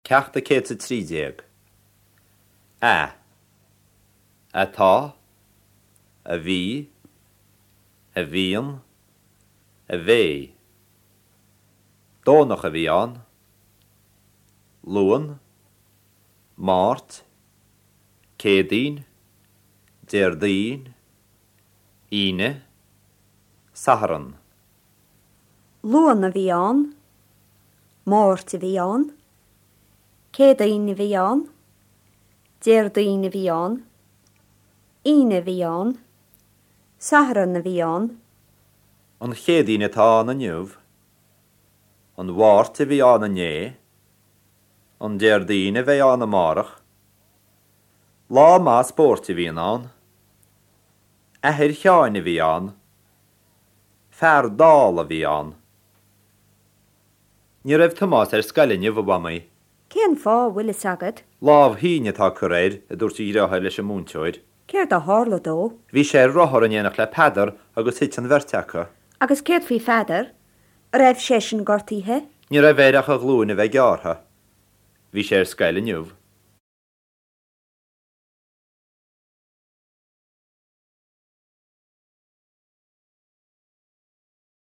Ceacht a 113. A. Atá. A bhí. A bhíonn. A bheidh. Domhnach a bhí ann. Luan. Máirt. Céadaoin. Déardaoin. Aoine. Satharn. Luan a bhí ann. Máirt a bhí ann. Céadaoin a bhí ann. Déardaoin a bhí ann. Aoine a bhí ann. Satharn a bhí ann. An Chéadaoin atá ann inniu. An Mháirt a bhí ann inné. An Déardaoin a bheidh ann amárach. Lá maith spóirt a bhíonn ann. Athair Sheáin a bhí ann. Fear dall a bhí ann. Ní raibh Tomás ar scoil inniu, a Mhamaí. Cén fáth, bhfuil fhios agat? Lámh thinn atá curtha air, a dúirt a dhriotháir leis an múinteoir. Céard a tharla dó? Bhí sé ar rothar in éineacht le Peadar agus thit an bheirt acu. Agus céard faoi Pheadar? An raibh seisean gortaithe? Ní raibh air ach a ghlúin a bheith gearrtha. Bhí sé ar scoil inniu.